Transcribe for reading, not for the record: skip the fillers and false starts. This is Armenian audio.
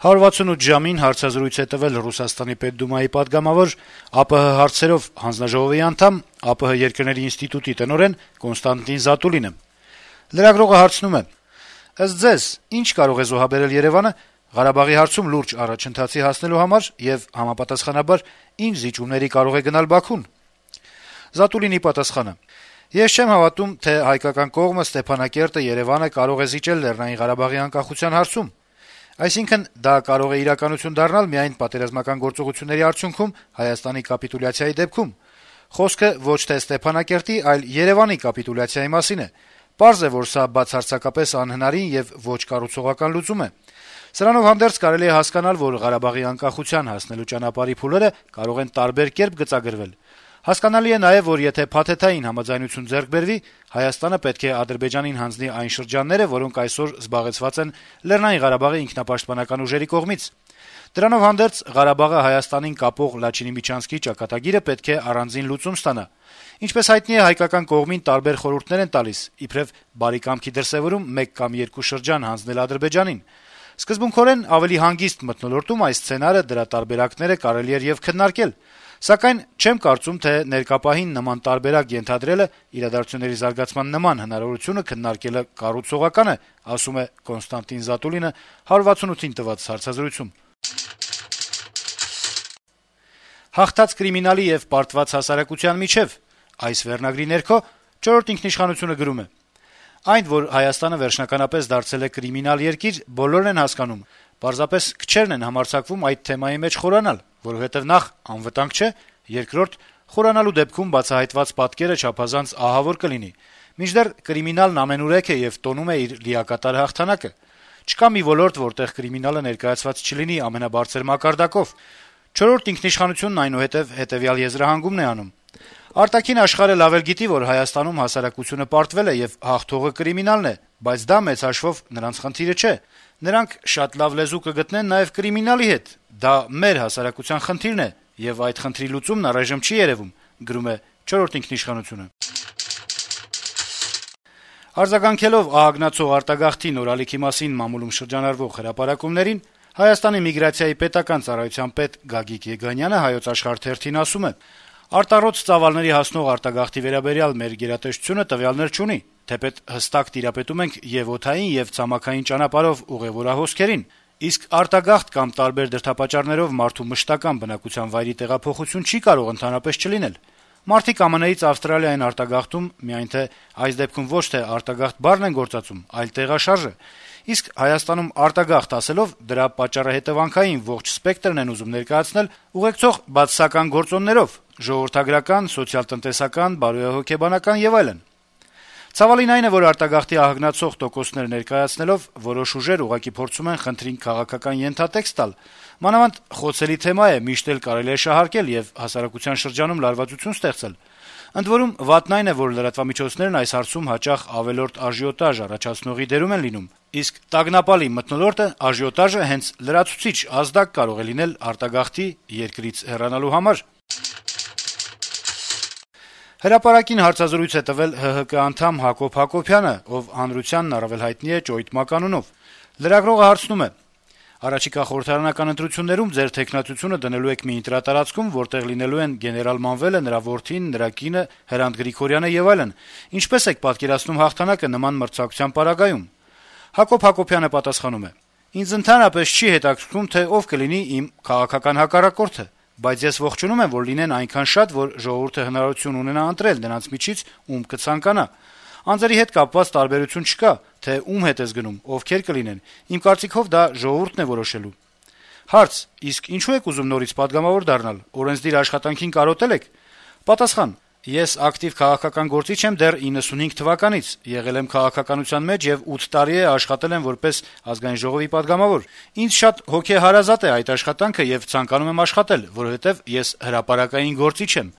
168 ժամին հարցազրույց է տվել Ռուսաստանի Պետդումայի պատգամավոր, ԱՊՀ հարցերով հանձնաժողովի անդամ, ԱՊՀ երկրների ինստիտուտի տնօրեն Կոնստանտին Զատուլինը։ Լրագրողը հարցնում է. - Ըստ ձեզ, ինչ կարող է զոհաբերել Երեւանը Ղարաբաղի հարցում լուրջ առաջընթացի հասնելու համար եւ համապատասխանաբար ինչ զիջումների կարող է գնալ Բաքուն։ Զատուլինի պատասխանը. - Ես չեմ հավատում, թե հայկական կողմը Ստեփանակերտը Երեւանը կարող է զիջել Լեռնային Ղարաբաղի անկախության հարցում։ Այսինքն, դա կարող է իրականություն դառնալ միայն պատերազմական գործողությունների արդյունքում Հայաստանի կապիտուլյացիայի դեպքում։ Խոսքը ոչ թե Ստեփանակերտի, այլ Երեւանի կապիտուլյացիայի մասին է։ Պարզ է, որ սա բացարձակապես անհնարին եւ ոչ կառուցողական լուծում է։ Սրանով հանդերձ կարելի է հասկանալ, որ Ղարաբաղի անկախության հասնելու ճանապարհի փուլերը կարող են տարբեր կերպ գծագրվել։ Հասկանալի է նաեւ, որ եթե փաթեթային համաձայնություն ձեռք բերվի, Հայաստանը պետք է Ադրբեջանին հանձնի այն շրջանները, որոնք այսօր զբաղեցված են Լեռնային Ղարաբաղի ինքնապաշտպանական ուժերի կողմից։ Դրանով հանդերձ Ղարաբաղը Հայաստանին կապող Լաչինի-Միչանսկի ճակատագիրը պետք է առանձին լուծում ստանա։ Ինչպես հայտնի է, հայկական կողմին տարբեր խորհուրդներ են տալիս, իբրև բարի կամքի դրսեւորում 1 կամ 2 շրջան հանձնել Ադրբեջանին։ Սկզբունքորեն ավելի հանգիստ մթնոլորտում այս սցենարը, դրա տարբերակները կարելի էր եւ քննարկել, սակայն չեմ կարծում, թե ներկապահին նման տարբերակ ենթադրելը իրադարձությունների զարգացման նման հնարավորությունը քննարկելը կառուցողական է, ասում է Կոնստանտին Զատուլինը 168-ին տված հարցազրույցում։ Հաղթած կրիմինալի եւ պարտված հասարակության միջեւ այս վերնագրի ներքո «Չորրորդ ինքնիշխանություն»-ը գրում է. - Այն, որ Հայաստանը վերջնականապես դարձել է կրիմինալ երկիր, բոլորն են հասկանում, պարզապես քչերն են համարձակվում այդ թեմայի մեջ խորանալ, որովհետեւ նախ անվտանգ չէ, երկրորդ խորանալու դեպքում բացահայտված պատկերը չափազանց ահավոր կլինի, մինչդեռ կրիմինալն ամենուրեք է եւ տոնում է իր լիակատար հաղթանակը։ Չկա մի ոլորտ, որտեղ կրիմինալը ներկայացված չլինի ամենաբարձր մակարդակով։ «Չորրորդ ինքնիշխանությունն» այնուհետեւ հետեւյալ եզրահանգումն է անում. Արտաքին աշխարհը լավ էլ գիտի, որ Հայաստանում հասարակությունը պարտվել է եւ հաղթողը կրիմինալն է, բայց դա մեծ հաշվով նրանց խնդիրը չէ։ Նրանք շատ լավ լեզու կգտնեն նաեւ կրիմինալի հետ։ Դա մեր հասարակության խնդիրն է, եւ այդ խնդրի լուծումն առայժմ չի երեւում, գրում է «Չորրորդ ինքնիշխանություն»-ը։ Արձագանքելով ահագնացող արտագաղթի նորալիքի մասին մամուլում շրջանառվող հրապարակումներին, Հայաստանի միգրացիայի պետական ծառայության պետ Գագիկ Եգանյանը «Հայոց Աշխարհ» թերթին ասում է. - Արտառոց ծավալների հասնող արտագաղթի վերաբերյալ մեր գերատեսչությունը տվյալներ չունի, թեպետ հստակ տիրապետում ենք եւ օդային եւ ցամաքային ճանապարհով ուղեւորահոսքերին, իսկ արտագաղթ կամ տարբեր դրդապատճառներով մարդու մշտական բնակության վայրի տեղափոխություն չի կարող ընդհանրապես չլինել։ Մարդիկ ԱՄՆ-ից Ավստրալիա են արտագաղթում, միայն թե այս դեպքում ոչ թե արտագաղթ բառն են գործածում, այլ տեղաշարժը։ Իսկ Հայաստանում արտագաղթ ասելով դրա պատճառահետեւանքային ողջ սպեկտրն են ուզում ներկայացնել ուղեկցող բացասական գործոններով՝ ժողովրդագրական, սոցիալ-տնտեսական, բարոյահոգեբանական եւ այլն։ Ցավալին այն է, որ արտագաղթի ահագնացող տոկոսներ ներկայացնելով որոշ ուժեր ուղղակի փորձում են խնդրին քաղաքական ենթատեքստ տալ։ Մանավանդ խոցելի թեմա է, միշտ էլ կարելի է շահարկել եւ հասարակության շրջանում լարվածություն ստեղծել։ Ընդ որում, վատն այն է, որ լրատվամիջոցներն այս հարցում հաճախ ավելորդ աժիոտաժ առաջացնողի դերում են լինում, իսկ տագնապալի մթնոլորտը աժիոտաժը հենց լրացուցիչ ազդակ կարող է լինել արտագաղթի երկրից հեռանալու համար։ Հրապարակին հարցազրույց է տվել ՀՀԿ անդամ Հակոբ Հակոբյանը, ով հանրությանն առավել հայտնի է Ճոյթ մականունով։ Լրագրողը հարցնում է. - Առաջիկա խորհրդարանական ընտրություններում ձեր թեկնածությունը դնելու եք մի ընտրատարածքում, որտեղ լինելու են գեներալ Մանվելը, նրա որդին, նրա կինը, Հրանտ Գրիգորյանը եւ այլն։ Ինչպես եք պատկերացնում հաղթանակը նման մրցակցության պարագայում։ Հակոբ Հակոբյանը պատասխանում է. - Ինձ ընդհանրապես չի հետաքրքրում, թե ով կլինի իմ քաղաքական հակառակորդը, բայց ես ողջունում եմ, որ լինեն այնքան շատ, որ ժողովուրդը հնարավորություն ունենա ընտրել նրանց միջից, ում կցանկանա։ Անձերի հետ կապված տարբերություն չկա, թե ում հետ ես գնում, ովքեր կլինեն։ Իմ կարծիքով դա ժողովուրդն է որոշելու։ Հարց. իսկ ինչու եք ուզում նորից պատգամավոր դառնալ, օրենսդիր աշխատանքին կարոտել եք։ Պատասխան. ես ակտիվ քաղաքական գործիչ եմ դեռ 95 թվականից, եղել եմ քաղաքականության մեջ եւ 8 տարի է աշխատել եմ որպես Ազգային ժողովի պատգամավոր։ Ինձ շատ հոգեհարազատ է այդ աշխատանքը եւ ցանկանում եմ աշխատել, որովհետեւ ես հրապարակային գործիչ եմ։